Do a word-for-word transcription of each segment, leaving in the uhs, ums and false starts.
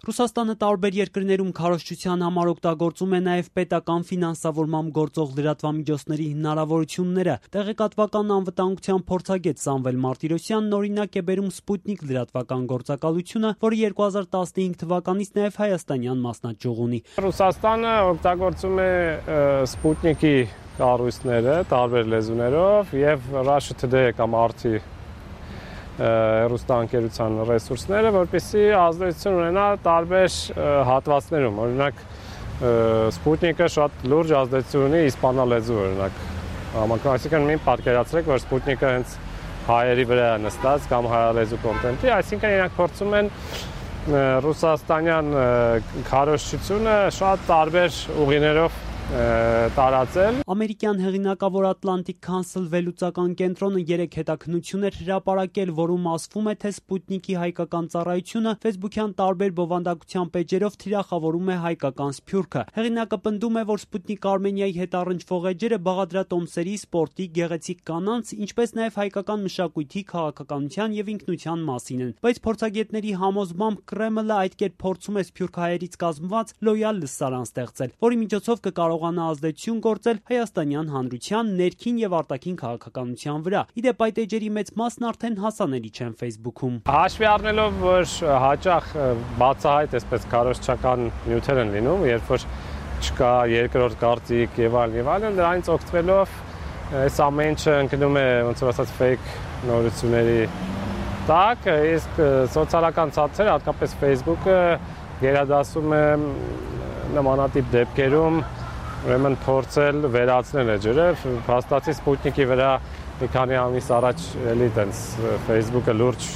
Ռուսաստանը տարբեր երկրներում քարոզչության համար օգտագործում է նաև պետական ֆինանսավորմամբ գործող լրատվամիջոցների հնարավորությունները։ Տեղեկատվական անվտանգության փորձագետ Սամվել Մարտիրոսյանն օրինակ է բերում Սպուտնիկ լրատվական գործակալությունը, որը երկու հազար տասնհինգ թվականից նաև հայաստանյան մասնաճյուղ ունի։ Ռուսաստանը օգտագործում է Սպուտնիկի կառույցները տարբեր լեզուներով եւ Russia Today կամ ար թի հեռուստաընկերության ռեսուրսները, որպեսզի ազդեցություն ունենա տարբեր հատվածներում։ Օրինակ Սպուտնիկը շատ լուրջ ազդեցություն ունի իսպանա լեզու, օրինակ։ Այսինքն μην պատկերացրեք, որ Սպուտնիկը հենց հայերի վրա է նստած կամ հայալեզու կոնտենտի, այսինքն իրանք փորձում են ռուսաստանյան քարոզչությունը շատ տարբեր ուղիներով տարածել։ Ամերիկյան հեղինակավոր Atlantic Council վերլուծական կենտրոնը երեք հետաքննություն էր հրապարակել, որում ասվում է, թե Սպուտնիկի հայկական ծառայությունը Facebook-յան տարբեր բովանդակության պեյջերով թիրախավորում է հայկական սփյուռքը։ Հեղինակը պնդում է, որ Սպուտնիկ Արմենիայի հետ առնչվող էջերը բաղադրատոմսերի, սպորտի, գեղեցիկ կանանց, ինչպես նաև հայկական մշակույթի, քաղաքականության եւ ինքնության մասին են։ Բայց փորձագետների համոզմամբ Կրեմլը այդ կերպ փորձում է սփյուռքահայերից կազմված լոյալ լսարան ստեղծել, որի միջոցով կկարողանա ազդեցություն գործել հայաստանյան հանրության ներքին եւ արտաքին քաղաքականության վրա։ Իդեպ այդ էջերի մեծ մասն արդեն հասանելի չեն Facebook-ում։ Հաշվի առնելով, որ հաճախ բացահայտ այսպես քարոզչական նյութեր են լինում, երբ որ չկա երկրորդ կարծիք եւ այլն եւ այլն, դրանից օգտվելով այս ամեն ինչը ընկնում է ոնց որ ասած fake նորությունների տակ, իսկ սոցիալական ցանցերը, հատկապես Facebook-ը գերադասում է նմանատիպ դեպքերում ուրեմն փորձել վերացնել էջերը, փաստացի Սպուտնիկի վրա մի քանի ամիս առաջ էլի տենց Facebook-ը լուրջ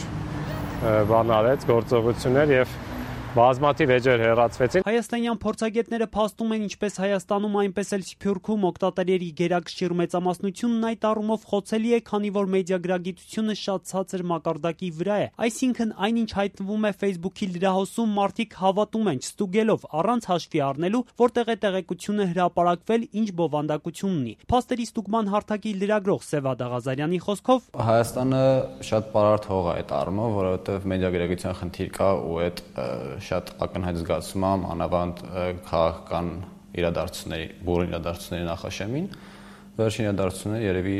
բան արեց, գործողություններ եւ բազմաթիվ էջեր հեռացվեցին։ Հայաստանյան փորձագետները փաստում են ինչպես Հայաստանում, այնպես էլ Սփյուռքում օգտատերերի գերակշիռ մեծամասնությունն այդ առումով խոցելի է, քանի որ մեդիագրագիտությունը շատ ցածր մակարդակի վրա է։ Այսինքն այնինչ հայտնվում է Facebook-ի լրահոսում, մարդիկ հավատում են, չստուգելով, առանց հաշվի առնելու, որտեղ է տեղեկությունը հրապարակվել, ինչ բովանդակություն ունի։ Փաստերի ստուգման հարթակի լրագրող Սևա Դաղազարյանի խոսքով Հայաստանը շատ պարարտ հող է այդ առումով, որովհետև մեդիագրագիտության խնդիր կա ու այդ շատ ակնհայտ զգացում եմ անավանդ քաղաքական իրադարձությունների, բուռն իրադարձությունների նախաշեմին։ Վերջին իրադարձությունները երևի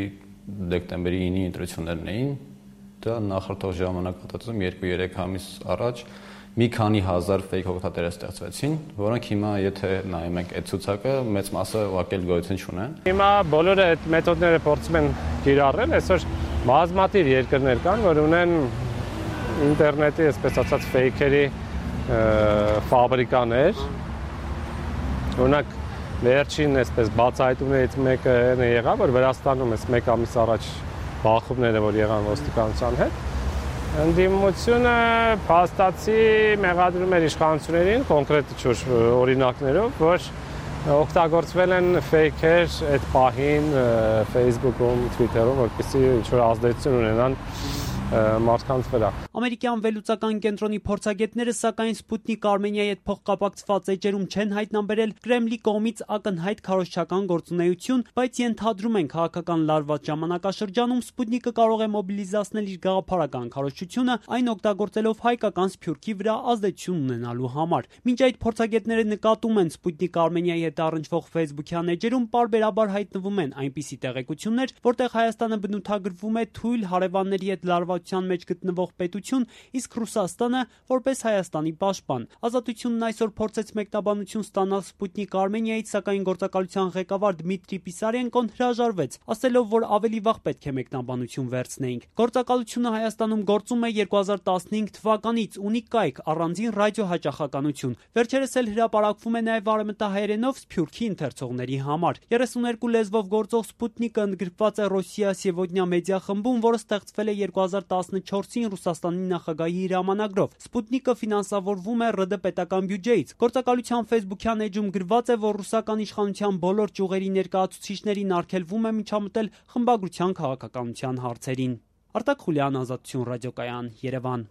դեկտեմբերի ինի ընտրություններն էին։ Դա նախորդող ժամանակահատվածում երկու-երեք ամիս առաջ մի քանի հազար fake օգտատեր ստեղծվեցին, որոնք հիմա եթե նայում ենք այդ ցուցակը, մեծ մասը ուղղակի գոյություն չունեն։ Հիմա բոլորը այդ մեթոդները փորձում են կիրառել, այսօր բազմաթիվ երկրներ կան, որ ունեն ինտերնետի, այսպես ասած, fake-երի ֆաբրիկաներ, օրինակ վերջին այսպես բացահայտումներից մեկը եղավ, որ Վրաստանում էս մեկ ամիս առաջ բախումները, որ եղան ոստիկանության հետ, ընդդիմությունը փաստացի մեղադրում էր իշխանություններին կոնկրետ ինչ-որ օրինակներով, որ օգտագործվել են fake-եր այդ պահին Facebook-ում, Twitter-ում, որպեսզի ինչ-որ ազդեցություն ունենան մարդկանց վրա։ Ամերիկյան վերլուծական կենտրոնի փորձագետները սակայն Սպուտնիկ Արմենիայի հետ փոխկապակցված էջերում չեն հայտնաբերել Կրեմլի կողմից ակնհայտ քարոզչական գործունեություն, բայց ենթադրում են քաղաքական լարված ժամանակաշրջանում Սպուտնիկը կարող է մոբիլիզացնել իր գաղափարական քարոզչությունը, այն օգտագործելով հայկական սփյուռքի վրա ազդեցություն ունենալու համար։ Մինչ այդ փորձագետները նկատում են Սպուտնիկ Արմենիայի հետ առնչվող Facebook-յան էջերում պարբերաբար հայտնվում են այնպիսի տեղեկություններ, որտեղ Հայաստանը բնութագրվում է թույլ հարևանների հետ լարվածության մեջ գտնվող պետություն, իսկ Ռուսաստանը որպես Հայաստանի պաշտպան։ Ազատությունն այսօր փորձեց մեկնաբանություն ստանալ Սպուտնիկ Արմենիայից, սակայն գործակալության ղեկավար Դմիտրի Պիսարենկոն հրաժարվեց, ասելով, որ ավելի վաղ պետք է մեկնաբանություն վերցնեինք։ Գործակալությունը Հայաստանում գործում է երկու հազար տասնհինգ թվականից, ունի կայք, առանձին ռադիոհաճախականություն։ Վերջերս էլ հրապարակվում է նաև արևմտահայերենով Սփյուռքի ընթերցողների համար։ երեսուներկու լեզվով գործող Սպուտնիկը ընդգրկված է Ռոսիա Սևոդնյա մեդիա խմբում, որը ստեղծվել է երկու հազար տասնչորսին Ռուսաստանի նախագահի հրամանագրով։ Սպուտնիկը ֆինանսավորվում է ՌԴ պետական բյուջեից։ Գործակալության Facebook-յան էջում գրված է, որ ռուսական իշխանության բոլոր ճյուղերի ներկայացուցիչներին արգելվում է միջամտել խմբագրության քաղաքականության հարցերին։ Արտակ Խուլյան, Ազատություն ռադիոկայան, Երևան։